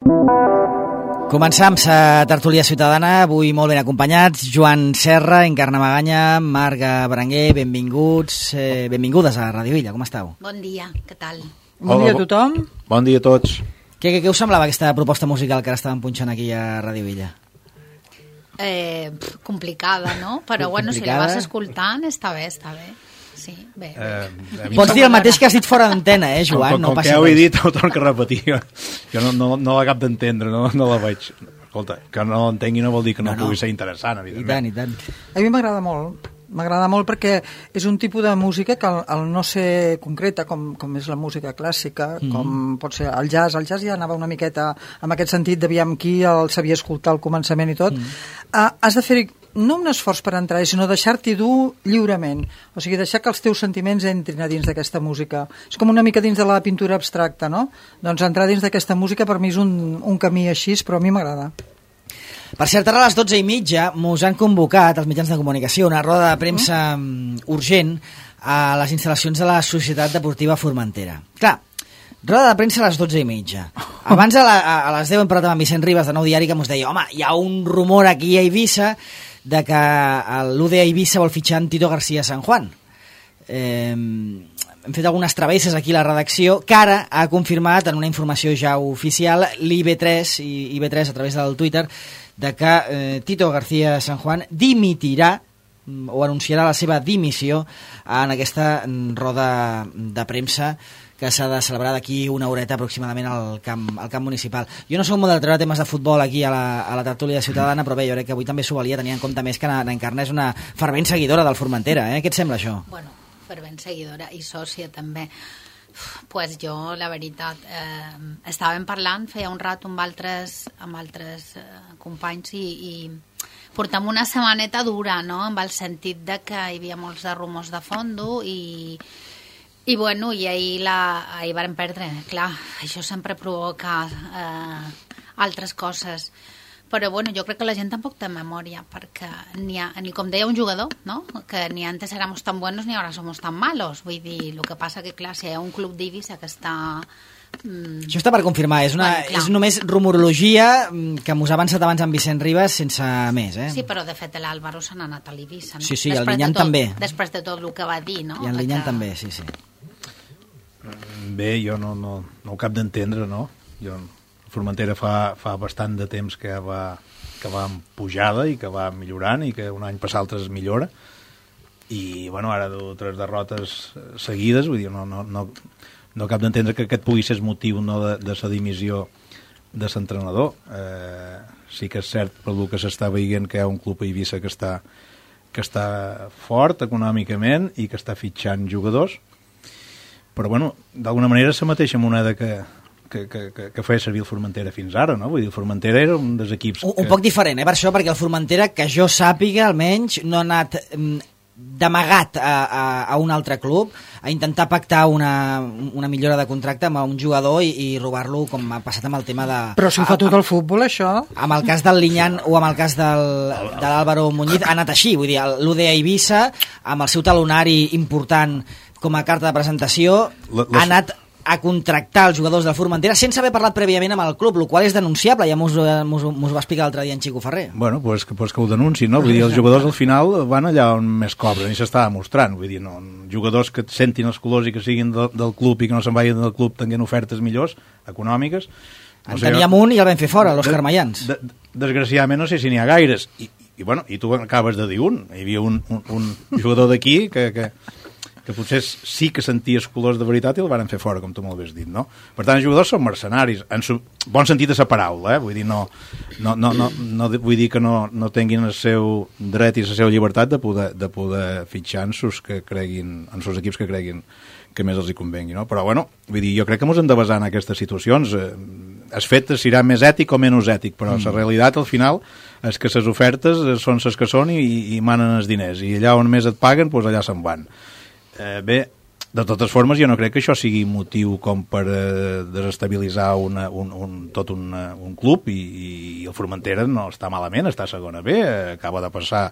Començam la tertúlia ciutadana, avui molt ben acompanyats. Joan Serra, Encarna Maganya, Marga Berenguer, benvinguts, benvingudes a Ràdio Illa, com esteu? Bon dia, què tal? Bon dia a tothom. Bon dia a tots. Què us semblava aquesta proposta musical que ara estàvem punxant aquí a Ràdio Illa? Complicada, no? Però bueno, si la vas escoltant, està bé. Sí, bé. Pots dir el mateix que has dit fora d'antena, Joan? Com que heu dit, ho torno a repetir. Jo no l'acabo d'entendre, no la veig. Escolta, que no l'entengui no vol dir que no pugui ser interessant, evidentment. I tant. A mi m'agrada molt. M'agrada molt perquè és un tipus de música que al no ser concreta, com és la música clàssica, com pot ser el jazz ja anava una miqueta en aquest sentit, d'aviam qui el sabia escoltar al començament i tot, has de fer no un esforç per entrar, sinó deixar-t'hi dur lliurement, o sigui, deixar que els teus sentiments entrin a dins d'aquesta música. És com una mica dins de la pintura abstracta, no? Doncs entrar dins d'aquesta música per mi és un camí així, però a mi m'agrada. Per cert, ara a les 12:30 mos han convocat als mitjans de comunicació una roda de premsa urgent a les instal·lacions de la Societat Deportiva Formentera. Clar, roda de premsa a les 12:30. Abans a les 10 hem parlat amb Vicent Ribas de Nou Diari que mos deia, home, hi ha un rumor aquí a Eivissa de que l'UDA Eivissa vol fitxar en Tito García San Juan. Hem fet algunes travesses aquí a la redacció que ara ha confirmat en una informació ja oficial l'IB3 i IB3 a través del Twitter de que Tito García San Juan dimitirà o anunciarà la seva dimissió en aquesta roda de premsa que s'ha de celebrar d'aquí una horeta aproximadament al camp municipal. Jo no soc molt de treure temes de futbol aquí a la tertúlia ciutadana, però bé, jo crec que avui també s'ho valia tenir en compte més que Encarna és una fervent seguidora del Formentera. Què et sembla això? Bueno, fervent seguidora i sòcia també. Pues jo, la veritat, estàvem parlant feia un rato amb altres companys i portem una setmaneta dura, no?, amb el sentit de que hi havia molts de rumors de fondo i bueno, i ahir varen perdre. Clar, això sempre provoca altres coses. Però bueno, jo crec que la gent tampoc té memòria, perquè ni com deia un jugador, no?, que ni antes éramos tan buenos ni ahora somos tan malos. Vull dir, el que passa que, clar, si hi ha un club d'Eivissa que està... Això està per confirmar, és només rumorologia que m'ho ha avançat abans amb Vicent Ribas sense més, Sí, però de fet l'Àlvaro se n'ha anat a l'Eivissa, no? Sí, i el Linyan també. Després de tot el que va dir, no? I el Linyan també, sí. Bé, jo no ho cap d'entendre, no? Formentera fa bastant de temps que va en pujada i que va millorant i que un any per l'altre es millora i bueno, ara tres derrotes seguides, vull dir, no cap d'entendre que aquest pugui ser el motiu no, de la dimissió de l'entrenador. Sí que és cert pel que s'està veient que hi ha un club a Eivissa que està fort econòmicament i que està fitxant jugadors, però bueno, d'alguna manera és la mateixa moneda que feia servir el Formentera fins ara, no? Vull dir, el Formentera era un dels equips... Un poc diferent, per això, perquè el Formentera, que jo sàpiga, almenys, no ha anat d'amagat a un altre club a intentar pactar una millora de contracte amb un jugador i robar-lo, com ha passat amb el tema de... Però si ho fa tot el futbol, això... Amb el cas del Linyan o amb el cas de l'Àlvaro Muñiz ha anat així, vull dir, l'UDA Eivissa, amb el seu talonari important com a carta de presentació, ha anat a contractar els jugadors del Formentera sense haver parlat prèviament amb el club, el qual és denunciable, ja mos va explicar l'altre dia en Xico Ferrer. Bueno, pues que ho denunciïn, no? Vull dir, els jugadors al final van allà on més cobren i s'està demostrant, vull dir, no, jugadors que sentin els colors i que siguin del club i que no se'n vagin del club tenint ofertes millors, econòmiques. En teníem un i el vam fer fora, l'Òscar Mayans. Desgraciadament no sé si n'hi ha gaires, i tu acabes de dir un, hi havia un jugador d'aquí que potser sí que sentia els colors de veritat i el van fer fora, com tu molt bé has dit, no? Per tant, els jugadors són mercenaris, en bon sentit de la paraula, vull dir, no vull dir que no tinguin el seu dret i la seva llibertat de poder fitxar en sus equips que creguin que més els hi convengui, no? Però, bueno, vull dir, jo crec que ens hem de basar en aquestes situacions. El fet serà més ètic o menys ètic, però la realitat, al final, és que les ofertes són les que són i manen els diners, i allà on més et paguen, doncs allà se'n van. Bé, de totes formes, jo no crec que això sigui motiu com per desestabilitzar tot un club i el Formentera no està malament, està a segona B, acaba de passar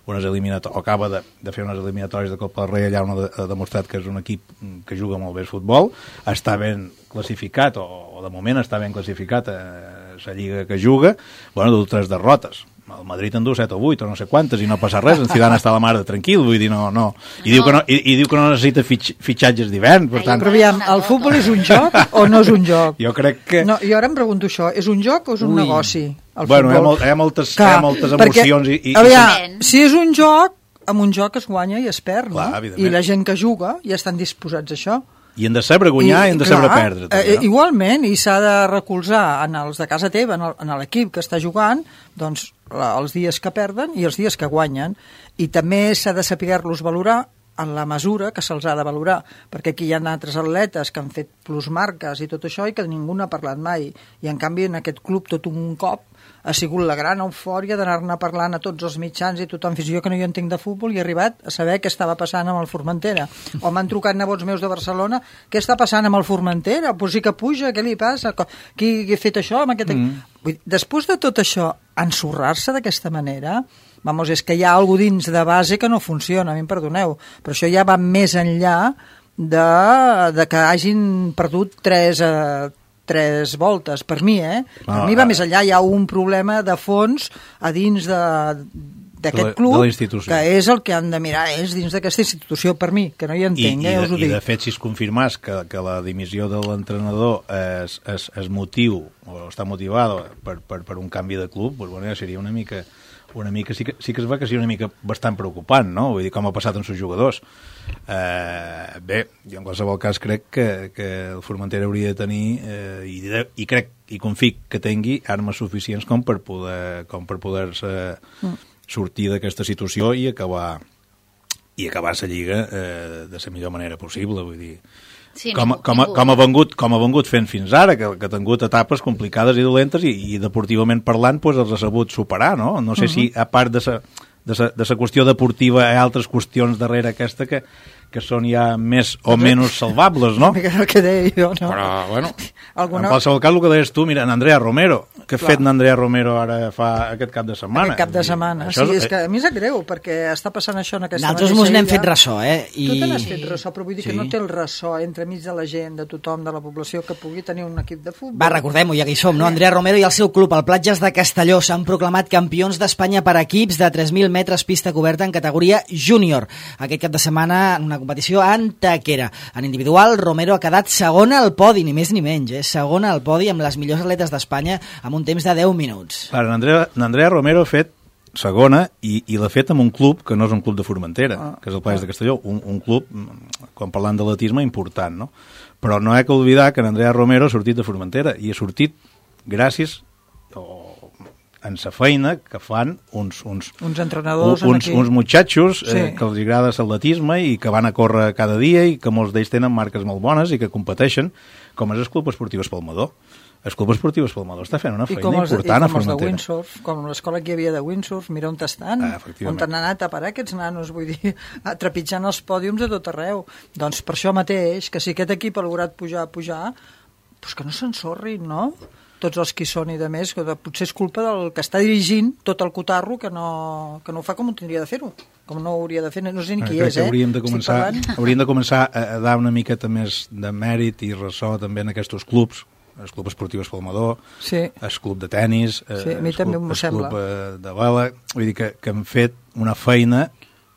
acaba de fer unes eliminatòries de Copa del Rei, allà on ha demostrat que és un equip que juga molt bé el futbol, està ben classificat, o de moment està ben classificat a la lliga que juga, du 3 derrotes. El Madrid en du 7 o 8 o no sé quantes i no passa res, en Zidane està a la mare tranquil, vull dir, no. I diu que no necessita fitxatges d'hivern, per tant... Però aviam, el futbol és un joc o no és un joc? Jo crec que... No, jo ara em pregunto això, és un joc o és un negoci? Bueno, hi ha moltes emocions i... Aviam, si és un joc, amb un joc es guanya i es perd, no? Clar, I la gent que juga ja estan disposats a això. I hem de saber guanyar i hem de saber perdre. També, no? Igualment, i s'ha de recolzar en els de casa teva, en l'equip que està jugant, doncs els dies que perden i els dies que guanyen. I també s'ha de saber-los valorar en la mesura que se'ls ha de valorar, perquè aquí hi ha altres atletes que han fet plusmarques i tot això i que ningú n'ha parlat mai. I en canvi en aquest club tot un cop ha sigut la gran eufòria d'anar-ne parlant a tots els mitjans i tothom, fins jo que no hi entenc de futbol, i he arribat a saber què estava passant amb el Formentera. O m'han trucat nebots meus de Barcelona, què està passant amb el Formentera? Pues sí que puja, què li passa? Qui ha fet això? Amb aquest... Després de tot això, ensorrar-se d'aquesta manera, és que hi ha alguna dins de base que no funciona, a mi em perdoneu, però això ja va més enllà de que hagin perdut tres voltes, per mi, per mi va més enllà, hi ha un problema de fons a dins d'aquest club, que és el que han de mirar, és dins d'aquesta institució, per mi, que no hi entenc, us ho dic. I de fet, si es confirmàs que la dimissió de l'entrenador és motiu, o està motivada per un canvi de club, doncs seria una mica sí que es va que sigui una mica bastant preocupant, no? Vull dir, com ha passat amb els jugadors. Bé, jo en qualsevol cas crec que el Formentera hauria de tenir i crec i confio que tingui armes suficients com per poder-se sortir d'aquesta situació i acabar la Lliga de la millor manera possible, vull dir. Sí, com ha vengut fent fins ara, que ha tingut etapes complicades i dolentes i deportivament parlant els ha sabut superar, no? No sé si a part de la qüestió deportiva hi ha altres qüestions darrere aquesta que són ja més o menys salvables, no? El que deia jo, no? Però, bueno, en qualsevol cas, el que deies tu, mira, en Andrea Romero, què ha fet n'Andrea Romero ara fa aquest cap de setmana? Aquest cap de setmana, sí, és que a mi és greu, perquè està passant això en aquesta nosaltres mos n'hem fet ressò, Tu te n'has fet ressò, però vull dir que no té el ressò entremig de la gent, de tothom, de la població, que pugui tenir un equip de futbol. Va, recordem-ho, ja que hi som, no? Andrea Romero i el seu club, el Platges de Castelló, s'han proclamat campions d'Espanya per equips de 3.000 metres pista coberta en categoria júnior. Aquest cap de setmana, en una competició Antequera. En individual, Romero ha quedat segona al podi, ni més ni menys, segona al podi amb les millors atletes d'Espanya amb un temps de 10 minuts. Clar, n'Andrea Romero ha fet segona i l'ha fet amb un club que no és un club de Formentera, que és el Platges de Castelló, un club, quan parlant d'atletisme, important, no? Però no hi ha que oblidar que n'Andrea Romero ha sortit de Formentera i ha sortit gràcies en la feina que fan uns entrenadors uns muchachos que els agrada l'atletisme i que van a córrer cada dia i que molts d'ells tenen marques molt bones i que competeixen, com és el Club Esportiu Espalmador. El Club Esportiu Espalmador està fent una feina important a Formentera. I com els de Windsurf, com l'escola que hi havia de Windsurf, mira on estan, on han anat a parar aquests nanos, vull dir, trepitjant els pòdiums de tot arreu. Doncs per això mateix, que si aquest equip ha lograt pujar, doncs que no s'ensorrin, no? Tots els que hi són i de més, que potser és culpa del que està dirigint tot el cotarro que no ho fa com ho tindria de fer-ho, com no ho hauria de fer, no sé ni qui és, hauríem de començar a dar una miqueta més de mèrit i ressò també en aquests clubs, el Club Esportiu Espalmador, el Club de Tenis, el Club de Vela, vull dir que han fet una feina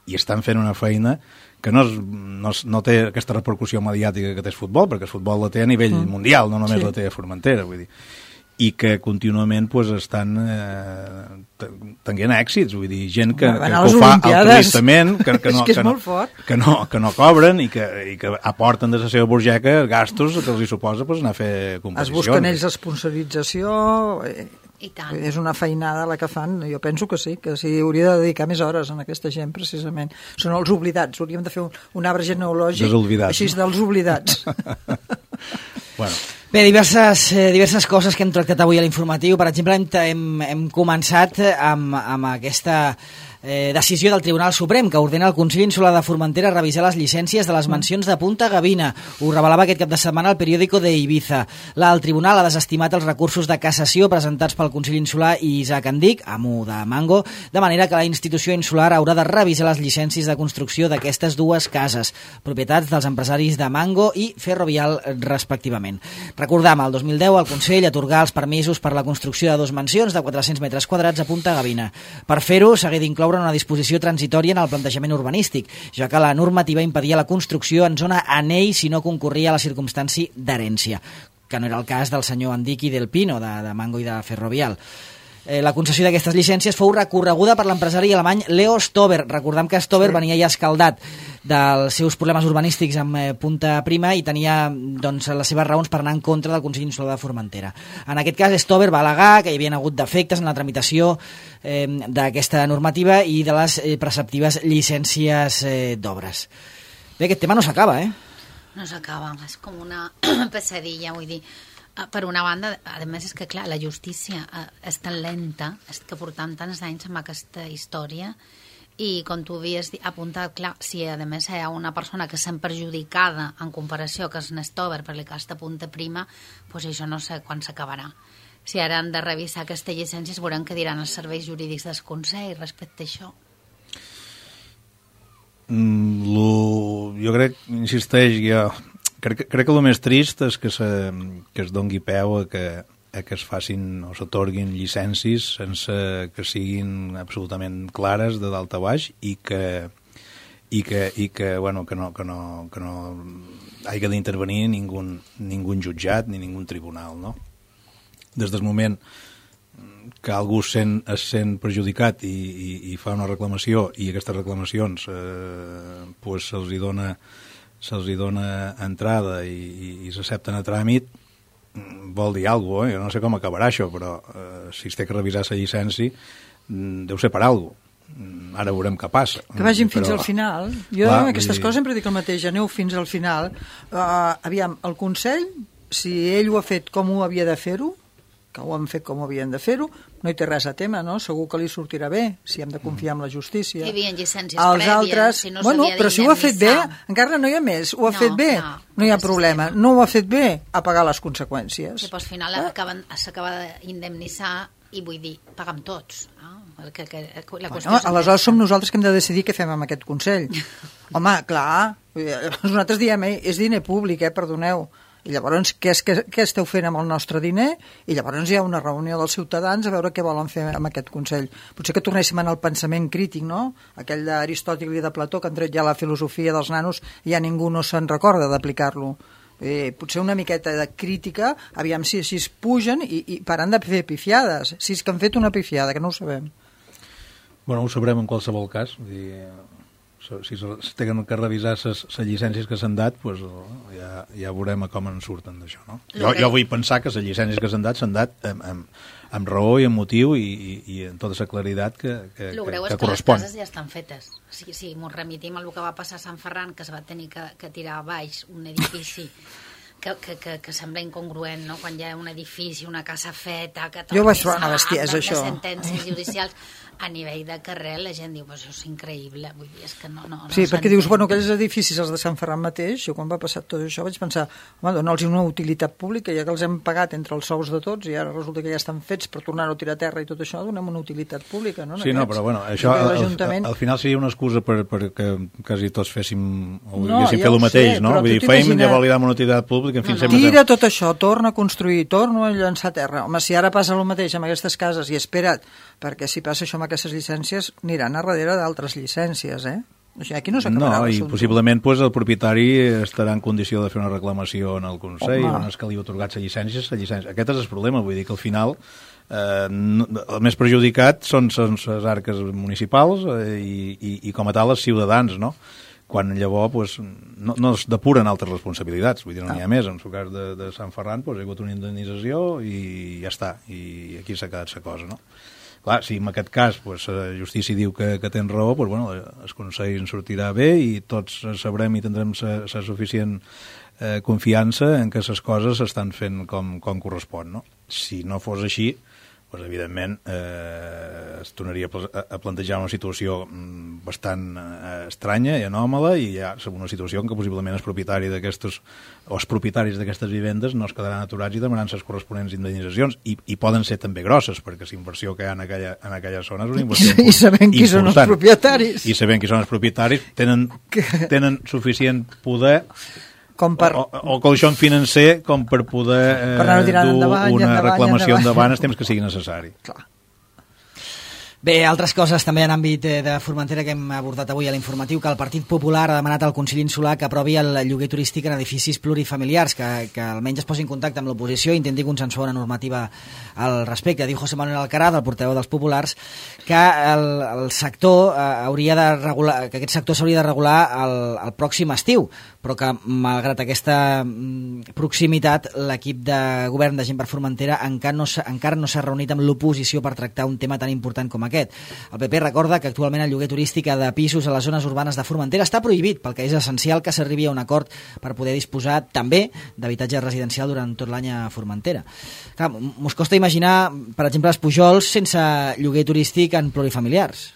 i estan fent una feina que no té aquesta repercussió mediàtica que té el futbol, perquè el futbol la té a nivell mundial, no només la té a Formentera, vull dir, i que contínuament estan tenint èxits, vull dir, gent que ho fa altruistament, que no cobren i que aporten de la seva burgeca gastos que els hi suposa anar a fer competicions. Es busquen ells esponsorització, és una feinada la que fan, jo penso que sí, que s'hi hauria de dedicar més hores en aquesta gent, precisament. Són els oblidats, hauríem de fer un arbre genealògic així dels oblidats. Bueno. Bé, diverses coses que hem tractat avui a l'informatiu. Per exemple, hem començat amb aquesta Decisió del Tribunal Suprem que ordena al Consell Insular de Formentera revisar les llicències de les mansions de Punta Gavina. Ho revelava aquest cap de setmana al periòdico de Ibiza. El Tribunal ha desestimat els recursos de cassació presentats pel Consell Insular i Isaac Andic, amo de Mango, de manera que la institució insular haurà de revisar les llicències de construcció d'aquestes dues cases, propietats dels empresaris de Mango i Ferrovial, respectivament. Recordam, el 2010 el Consell atorgà els permisos per la construcció de 2 mansions de 400 metres quadrats a Punta Gavina. Per fer-ho, s'hagué d'incloure una disposició transitòria en el plantejament urbanístic, ja que la normativa impedia la construcció en zona anell si no concorria a la circumstància d'herència, que no era el cas del senyor Andic i del Pino, de Mango i de Ferrovial. La concessió d'aquestes llicències fou recorreguda per l'empresari alemany Leo Stover. Recordem que Stover venia ja escaldat dels seus problemes urbanístics amb Punta Prima i tenia les seves raons per anar en contra del Consell Insular de Formentera. En aquest cas, Stover va al·legar que hi havia hagut defectes en la tramitació d'aquesta normativa i de les preceptives llicències d'obres. Bé, aquest tema no s'acaba, No s'acaba, és com una pesadilla, vull dir. Per una banda, a més, és que, clar, la justícia és tan lenta, és que portam tants anys amb aquesta història i, com tu havies apuntat, clar, si a més hi ha una persona que sent perjudicada en comparació que és Nestover per el cas de Punta Prima, doncs això no sé quan s'acabarà. Si ara han de revisar aquestes llicències, veurem què diran els serveis jurídics del Consell respecte a això. Jo crec, insisteix, crec que el més trist és que es dongui peu a que es facin o s'atorguin llicències sense que siguin absolutament clares de dalt a baix i que no hagi d'intervenir ningú jutjat ni ningú tribunal, no? Des del moment que algú es sent perjudicat i fa una reclamació i aquestes reclamacions se'ls dona entrada i s'accepten a tràmit, vol dir alguna cosa, jo no sé com acabarà això, però si es té que revisar la llicència deu ser per alguna cosa. Ara veurem què passa. Que vagin fins al final. Jo en aquestes coses sempre dic el mateix, aneu fins al final. Aviam, el Consell, si ell ho ha fet com ho havia de fer-ho, que ho han fet com havien de fer-ho, no hi té res a tema, no? Segur que li sortirà bé, si hem de confiar en la justícia. Hi havia llicències prèvies, si no s'havia d'indemnitzar. Però si ho ha fet bé, encara no hi ha més, ho ha fet bé, no hi ha problema. No ho ha fet bé, a pagar les conseqüències. Sí, però al final s'acaba d'indemnitzar i vull dir, pagam tots. Aleshores som nosaltres que hem de decidir què fem amb aquest Consell. Home, clar, nosaltres diem, és diner públic, perdoneu. I llavors, què esteu fent amb el nostre diner? I llavors hi ha una reunió dels ciutadans a veure què volen fer amb aquest Consell. Potser que tornéssim al pensament crític, no? Aquell d'Aristòtil i de Plató, que han tret ja la filosofia dels nanos i ja ningú no se'n recorda d'aplicar-lo. Potser una miqueta de crítica, aviam si es pugen i paran de fer pifiades. Si és que han fet una pifiada, que no ho sabem. Bueno, ho sabrem en qualsevol cas. Si tenen que revisar les llicències que s'han dat, doncs ja veurem com en surten d'això, no? Jo vull pensar que les llicències que s'han dat amb raó i amb motiu i amb tota la claritat que correspon. El greu és que les cases ja estan fetes. Si ens remitim al que va passar a Sant Ferran, que es va tenir que tirar a baix un edifici que sembla incongruent, no? Quan hi ha un edifici, una casa feta, que jo vaig trobar una bestiesa, això. Les sentències judicials a nivell de carrer, la gent diu, això és increïble, vull dir, és que no sí, perquè dius, bueno, aquells edificis, els de Sant Ferran mateix, jo quan va passar tot això vaig pensar, home, dona'ls una utilitat pública, ja que els hem pagat entre els sous de tots i ara resulta que ja estan fets per tornar-ho a tirar a terra i tot això, donem una utilitat pública, no? Sí, no, però bueno, això al final seria una excusa perquè quasi tots féssim o haguéssim fet el mateix, no? Vull dir, feim, ja validam una utilitat pública, en fi, tira tot això, torna a construir, torna a llançar a terra. Home, si ara passa el mateix amb aquestes cases i espera't, perquè si passa això amb aquestes llicències aniran a darrere d'altres llicències, O sigui, aquí no s'acabarà l'assumpte. No, i possiblement el propietari estarà en condició de fer una reclamació en el Consell, on es que li ha atorgat la llicència. Aquest és el problema, vull dir que al final el més perjudicat són les arques municipals i com a tal els ciutadans, no? Quan llavors no es depuren altres responsabilitats, vull dir, no n'hi ha més. En el cas de Sant Ferran hi ha hagut una indemnització i ja està, i aquí s'ha quedat la cosa, no? Clar, si en aquest cas la justícia diu que tens raó, el Consell en sortirà bé i tots sabrem i tindrem la suficient confiança en que les coses s'estan fent com correspon, no? Si no fos així, doncs, evidentment, es tornaria a plantejar una situació bastant estranya i anòmala, i hi ha una situació en què possiblement els propietaris d'aquestes vivendes no es quedaran aturats i demanaran les corresponents indemnitzacions, i poden ser també grosses, perquè la inversió que hi ha en aquella zona és una inversió important. I sabent qui són els propietaris. I sabent qui són els propietaris, tenen suficient poder o colxon financer com per poder dur una reclamació endavant el temps que sigui necessari. Clar. Bé, altres coses també en àmbit de Formentera que hem abordat avui a l'informatiu, que el Partit Popular ha demanat al Consell Insular que aprovi el lloguer turístic en edificis plurifamiliars, que almenys es posi en contacte amb l'oposició i intenti consensuar una normativa al respecte. Diu José Manuel Alcaraz, el portaveu dels populars, que el sector hauria de regular, que aquest sector s'hauria de regular el pròxim estiu, però que malgrat aquesta proximitat l'equip de govern de Gent per Formentera encara no s'ha reunit amb l'oposició per tractar un tema tan important com aquest. El PP recorda que actualment el lloguer turístic de pisos a les zones urbanes de Formentera està prohibit, pel que és essencial que s'arribi a un acord per poder disposar també d'habitatge residencial durant tot l'any a Formentera. Clar, mos costa imaginar, per exemple, els Pujols sense lloguer turístic en plurifamiliars.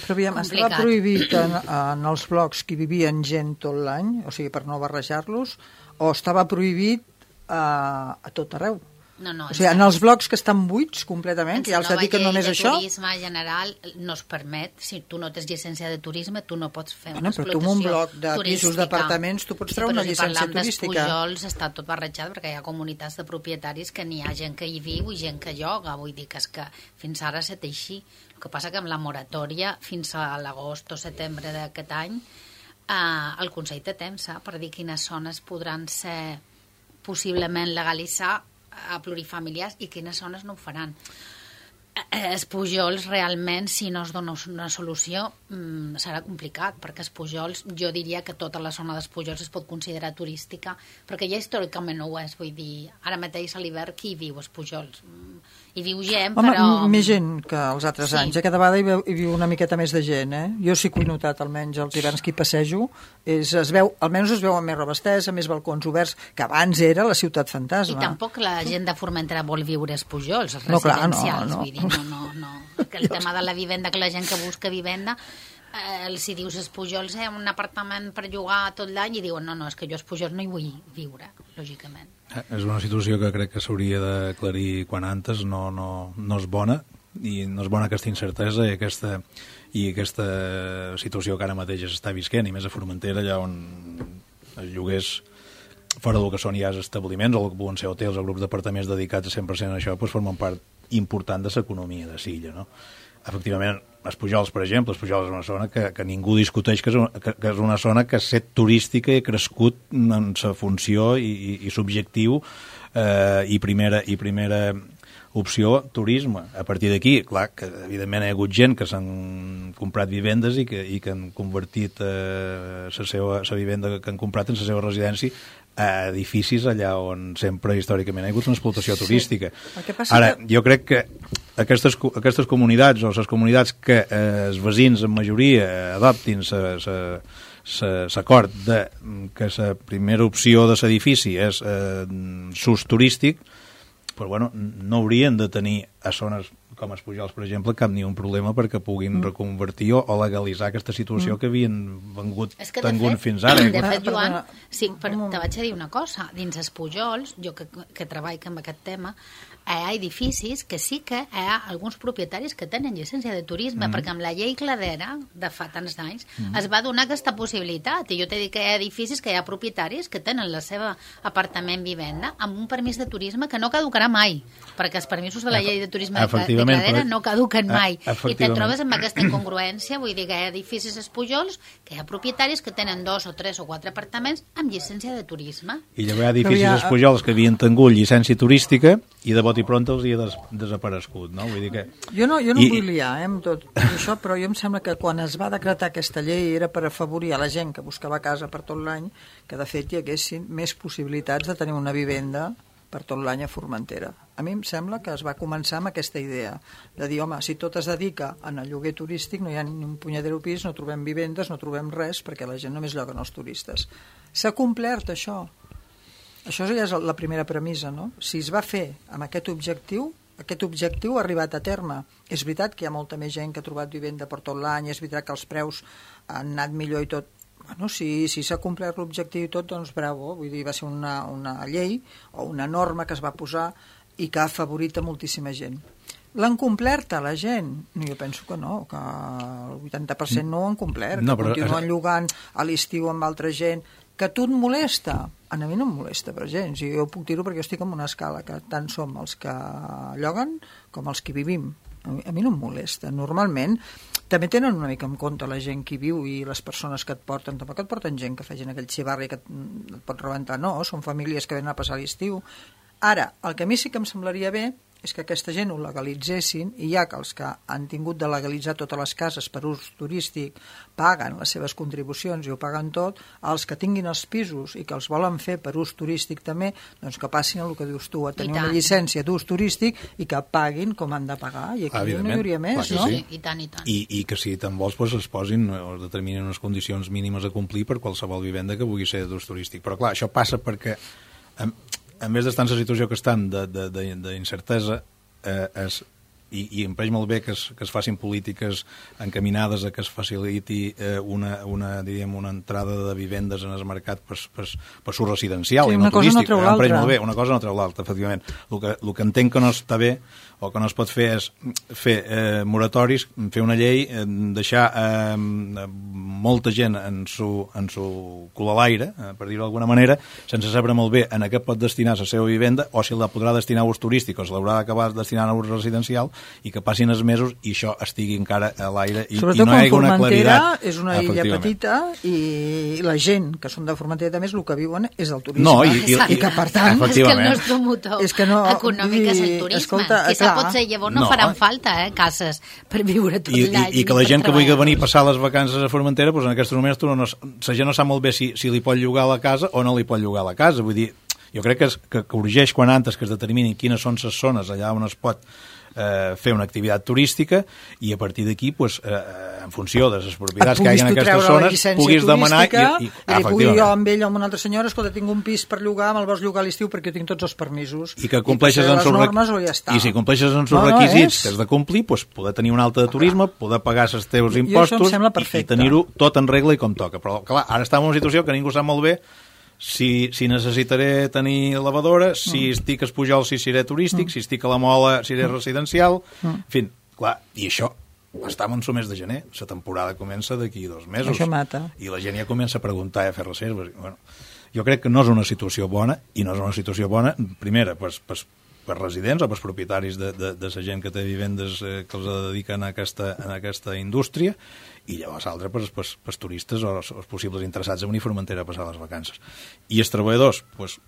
Però aviam, estava prohibit en els blocs que vivien gent tot l'any, o sigui, per no barrejar-los, o estava prohibit a tot arreu? No, o sigui, en els blocs que estan buits completament, que ja els dediquen només a això... El turisme general no es permet, si tu no tens llicència de turisme, tu no pots fer una explotació turística. Però tu en un bloc de pisos d'apartaments tu pots treure una llicència turística. Però si parlem dels Pujols està tot barrejat, perquè hi ha comunitats de propietaris que n'hi ha gent que hi viu i gent que lloga, vull dir que és que fins ara ha estat així. El que passa que amb la moratòria fins a l'agost o setembre d'aquest any el Consell té temps per dir quines zones podran ser possiblement legalitzar a plurifamiliars i quines zones no ho faran. Els Pujols realment, si no es dona una solució, serà complicat, perquè els Pujols, jo diria que tota la zona dels Pujols es pot considerar turística, perquè ja històricament no ho és, vull dir, ara mateix a l'hivern qui hi viu als Pujols? Hi viu gent, home, però... més gent que els altres anys, cada vegada hi viu una miqueta més de gent, Jo sí que ho he notat, almenys els hiverns que hi passejo, almenys es veuen més robestesa, més balcons oberts, que abans era la ciutat fantasma. I tampoc la gent de Formentera vol viure als Pujols, els residencials, vull dir, no. Que el tema de la vivenda, que la gent que busca vivenda, si dius els Pujols, un apartament per llogar tot l'any, i diuen, no, és que jo als Pujols no hi vull viure, lògicament. És una situació que crec que s'hauria d'aclarir quan antes, no és bona, i no és bona aquesta incertesa i aquesta situació que ara mateix s'està visquent, i més a Formentera, allà on els lloguers fora del que són ja els establiments, o el que poden ser hotels o grups d'apartaments dedicats a 100% a això, doncs formen part important de l'economia de l'illa, no? Efectivament, els Pujols, per exemple, els Pujols és una zona que ningú discuteix que és una zona que ha estat turística i ha crescut en sa funció i subjectiu i primera opció, turisme. A partir d'aquí, clar, que evidentment hi ha hagut gent que s'han comprat vivendes i que han convertit la vivenda que han comprat en la seva residència a edificis allà on sempre històricament hi ha hagut una explotació turística. Ara, jo crec que aquestes comunitats o les comunitats que els veïns en majoria adoptin l'acord que la primera opció de l'edifici és s'ús turístic, però bueno, no haurien de tenir a zones com els Pujols, per exemple, cap ni un problema perquè puguin reconvertir o legalitzar aquesta situació que havien tingut fins ara. De fet, Joan, sí, te vaig a dir una cosa. Dins els Pujols, jo que treballo amb aquest tema, hi ha edificis que sí que hi ha alguns propietaris que tenen llicència de turisme, perquè amb la llei Cladera de fa tants anys es va donar aquesta possibilitat, i jo t'he dit que hi ha edificis que hi ha propietaris que tenen la seva apartament vivenda amb un permís de turisme que no caducarà mai, perquè els permisos de la llei de turisme de Cladera no caduquen mai, i te trobes amb aquesta incongruència. Vull dir que hi ha edificis als Pujols que hi ha propietaris que tenen 2 o 3 o 4 apartaments amb llicència de turisme. I llavors hi ha edificis als Pujols que havien tingut llicència turística i de bot i pronto els hi ha desaparegut, no? Vull dir que... Jo no vull liar amb tot això, però jo em sembla que quan es va decretar aquesta llei era per afavorir a la gent que buscava casa per tot l'any, que de fet hi haguessin més possibilitats de tenir una vivenda per tot l'any a Formentera. A mi em sembla que es va començar amb aquesta idea de dir, home, si tot es dedica en el lloguer turístic, no hi ha ni un punyadero pis, no trobem vivendes, no trobem res, perquè la gent només lloga els turistes. S'ha complert això. Això ja és la primera premissa, no? Si es va fer amb aquest objectiu, aquest objectiu ha arribat a terme. És veritat que hi ha molta més gent que ha trobat vivenda per tot l'any, és veritat que els preus han anat millor i tot. Bueno, si s'ha complert l'objectiu i tot, doncs bravo, vull dir, va ser una llei o una norma que es va posar i que ha afavorit a moltíssima gent. L'han complert a la gent? Jo penso que no, que el 80% no ho han complert, no, però continuen llogant a l'estiu amb altra gent. Que tu et molesta? A mi no em molesta, per gens. Jo puc dir-ho perquè jo estic en una escala que tant som els que lloguen com els que vivim. A mi no em molesta. Normalment també tenen una mica en compte la gent que viu i les persones que et porten. Tampoc et porten gent que facin aquell xivarri que et pot rebentar. No, són famílies que venen a passar l'estiu. Ara, el que a mi sí que em semblaria bé és que aquesta gent ho legalitzessin i ja que els que han tingut de legalitzar totes les cases per ús turístic paguen les seves contribucions i ho paguen tot, els que tinguin els pisos i que els volen fer per ús turístic també, doncs que passin el que dius tu, a tenir una llicència d'ús turístic i que paguin com han de pagar. I aquí no hi hauria més, no? Sí, i tant, i tant. I que si te'n vols, doncs es posin o es determinen unes condicions mínimes a complir per qualsevol vivenda que vulgui ser d'ús turístic. Però clar, això passa perquè a més d'estar en la situació que estan d'incertesa, i em pareix molt bé que es facin polítiques encaminades a que es faciliti una entrada de vivendes en el mercat per s'ús residencial i no turístic. Em pareix molt bé, una cosa no treu l'altra, efectivament. El que entenc que no està bé o que no es pot fer és fer moratoris, fer una llei, deixar molta gent en su cul a l'aire, per dir-ho d'alguna manera, sense saber molt bé en què pot destinar la seva vivenda o si la podrà destinar a ús turístic o si l'haurà d'acabar destinant a ús residencial i que passin els mesos i això estigui encara a l'aire i no hi hagi una claritat. És una illa petita i la gent que són de Formentera també el que viuen és el turisme. No, i que per tant... És que el nostre motor econòmic és el turisme. Escolta, quizà potser llavors no faran falta cases per viure tot l'any. I que la gent que vulgui venir a passar les vacances a Formentera, doncs en aquests moments la gent no sap molt bé si li pot llogar la casa o no li pot llogar la casa. Vull dir, jo crec que urgeix quan antes que es determinin quines són les zones allà on es pot fer una activitat turística i a partir d'aquí, en funció de les propietats que hi ha en aquestes zones, puguis demanar i pugui jo amb ell o amb una altra senyora, escolta, tinc un pis per llogar, me'l vols llogar a l'estiu perquè jo tinc tots els permisos. I que compleixes en i si compleixes en els requisits que has de complir, poder tenir una alta de turisme, poder pagar els teus impostos i tenir-ho tot en regla i com toca. Però clar, ara estem en una situació que ningú sap molt bé si necessitaré tenir lavadora, si estic a Espujol si seré turístic, si estic a la Mola si seré residencial, en fi, clar, i això estem en el mes de gener, la temporada comença d'aquí 2 mesos. Això mata. I la gent ja comença a preguntar i a fer reserves. Bueno, jo crec que no és una situació bona, i no és una situació bona, primera, per residents o per propietaris de la gent que té vivendes que els dediquen a aquesta indústria, i llavors l'altre per turistes o els possibles interessats a venir a Formentera a passar les vacances. I els treballadors,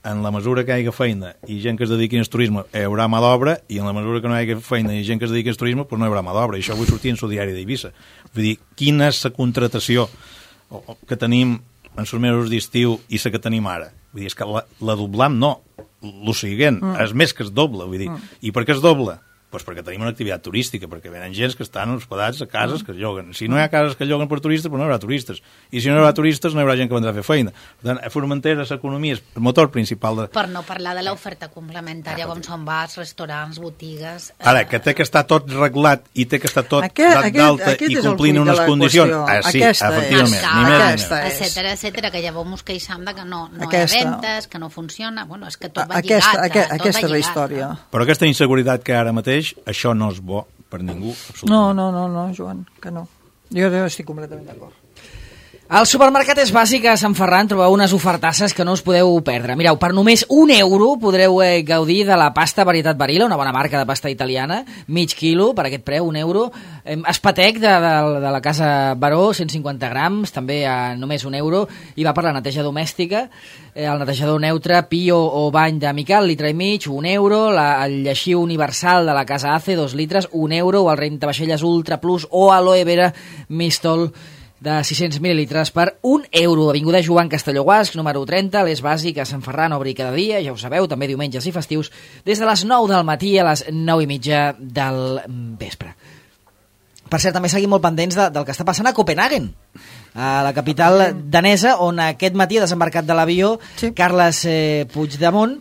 en la mesura que hi hagi feina i gent que es dediqui al turisme, hi haurà mà d'obra, i en la mesura que no hi hagi feina i gent que es dediqui al turisme, no hi haurà mà d'obra. I això avui sortir en el diari d'Eivissa. Vull dir, quina és la contratació que tenim en els mesos d'estiu i la que tenim ara? Vull dir, és que la doblam no, el següent, és més que es doble, vull dir. I per què es doble? Doncs perquè tenim una activitat turística, perquè venen gens que estan hospedats a cases que es lloguen. Si no hi ha cases que es lloguen per turistes, no hi haurà turistes. I si no hi haurà turistes, no hi haurà gent que vendrà a fer feina. Per tant, a Formentera l'economia és el motor principal de... Per no parlar de l'oferta complementària, com són bars, restaurants, botigues... Ara, que té que estar tot reglat i té que estar tot dat d'alta i complint unes condicions... Sí, efectivament, ni més ni menys. Etcètera, que llavors ens queixam que no hi ha ventes, que no funciona... Bueno, és que tot va lligat. Aquesta és la història. Però aquesta inseguretat que ara mateix, això no és bo per ningú, absolutament. No, Joan, que no. Jo estic completament d'acord. Al supermercat És Bàsic a Sant Ferran trobeu unes ofertasses que no us podeu perdre. Mireu, per només €1 podreu gaudir de la pasta varietat Barilla, una bona marca de pasta italiana, mig quilo, per aquest preu, €1. Espatec de la Casa Baró, 150 grams, també a només €1, i va per la neteja domèstica, el netejador neutre Pio o bany de Miquel, litre i mig, €1, el lleixiu universal de la Casa Ace, 2 litres, €1, o el rentavaixelles Ultra Plus o aloe vera Mistol de 600 mil·lilitres per €1. Avinguda Joan Castelló Guasc, número 30, l'És Bàsic a Sant Ferran, obri cada dia, ja ho sabeu, també diumenges i festius, des de les 9 del matí a les 9:30 del vespre. Per cert, també seguim molt pendents del que està passant a Copenhagen, a la capital danesa, on aquest matí ha desembarcat de l'avió Carles Puigdemont,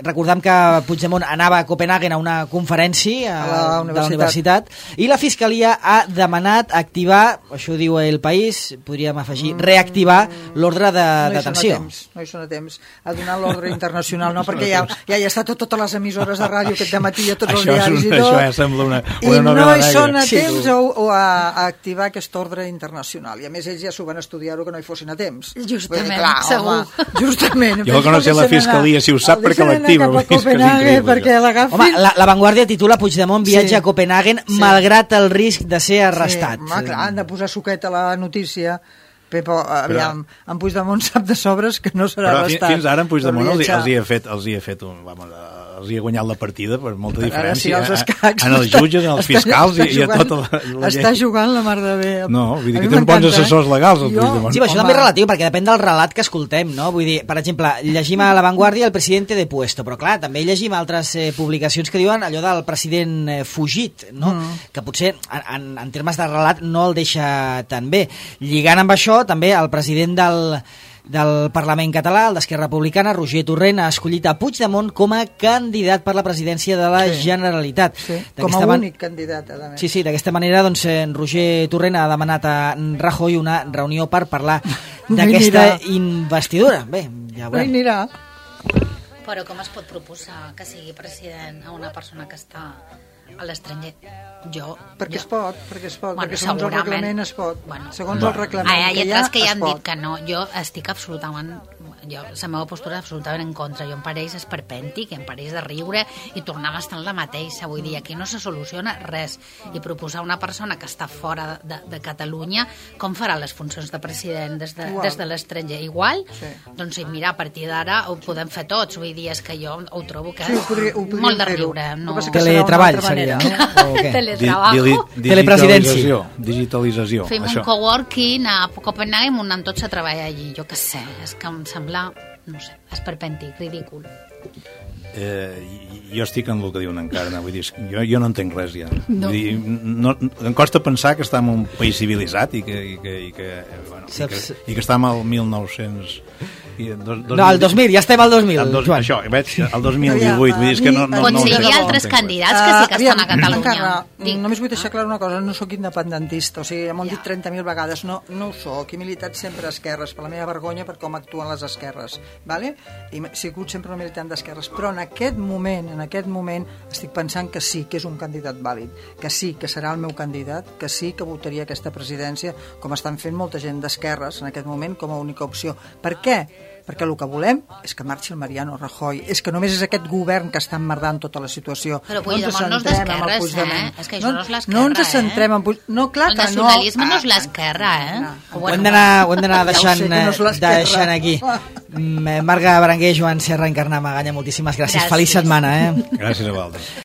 recordem que Puigdemont anava a Copenhagen a una conferència de la universitat, i la Fiscalia ha demanat activar, això diu El País, podríem afegir, reactivar l'ordre de detenció. No hi són a temps a donar l'ordre internacional, no, perquè ja hi ha estat totes les emissores de ràdio aquest dematí, a tots els diaris i tot, això ja sembla una i novel·la no hi són negra. a temps a activar aquest ordre internacional, i a més ells ja s'ho van estudiar que no hi fossin a temps. Justament, clar, segur. Justament. Jo que no sé la Fiscalia si ho sap perquè l'activa. Home, la Vanguardia titula Puigdemont viatja a Copenhagen malgrat el risc de ser arrestat. Home, clar, han de posar suquet a la notícia. Pepo, aviam, en Puigdemont sap de sobres que no serà arrestat. Fins ara en Puigdemont els hi ha fet els hi ha guanyat la partida per molta diferència en els jutges, en els fiscals i a tota la gent. Està jugant la mar de bé. No, vull dir que té uns bons assessors legals el Puigdemont. Sí, però això també és relatiu perquè depèn del relat que escoltem, no? Vull dir, per exemple, llegim a La Vanguardia el presidente de puesto, però clar, també llegim altres publicacions que diuen allò del president fugit, no? Que potser en termes de relat no el deixa tan bé. Lligant amb això, també el president del Parlament català, el d'Esquerra Republicana, Roger Torrent, ha escollit a Puigdemont com a candidat per la presidència de la Generalitat. Sí, com a únic candidat, a més. Sí, d'aquesta manera, doncs, Roger Torrent ha demanat a Rajoy una reunió per parlar d'aquesta investidura. Bé, ja ho veurem. Però com es pot proposar que sigui president a una persona que està a l'estranger? Perquè es pot, perquè segons el reglament es pot. Segons el reglament hi ha altres que ja han dit que no. Jo estic absolutament... la meva postura és absolutament en contra. Jo em pareix esperpèntic, em pareix de riure i tornar a estar en la mateixa. Vull dir, aquí no se soluciona res. I proposar una persona que està fora de Catalunya, com farà les funcions de president des de l'estranger? Igual? Doncs mira, a partir d'ara ho podem fer tots. Vull dir, és que jo ho trobo que molt de riure. Teletreball seria, no? Telepresidència. Digitalització. Fem un coworking a Copenhagen i muntant tots a treballar allí. Jo què sé, és que em sembla, no sé, esperpèntic, ridícul. Jo estic en el que diuen encara, vull dir, jo no entenc res ja. Vull dir, em costa pensar que estem en un país civilitzat i que estem al 1900... No, el 2000, ja estem al 2000, Joan. Això, veig, el 2018, vull dir, és que no... Potser hi ha altres candidats que sí que estan a Catalunya. Només vull deixar clar una cosa, no sóc independentista, o sigui, m'ho han dit 30.000 vegades, no ho sóc, he militat sempre a esquerres, per la meva vergonya per com actuen les esquerres, vale? I he sigut sempre un militant d'esquerres, però en aquest moment estic pensant que sí, que és un candidat vàlid, que sí, que serà el meu candidat, que sí que votaria aquesta presidència, com estan fent molta gent d'esquerres en aquest moment com a única opció. Per què? Perquè el que volem és que marxi el Mariano Rajoy, és que només és aquest govern que està emmerdant tota la situació. Però Puigdemont no és d'esquerres, És que això no és l'esquerra, No ens centrem en Puigdemont. No, clar que no. El nacionalisme no és l'esquerra, Ho hem d'anar deixant aquí. Marga Berenguer, Joan Serra, Encarnar Maganya, moltíssimes gràcies. Feliç setmana, Gràcies a vosaltres.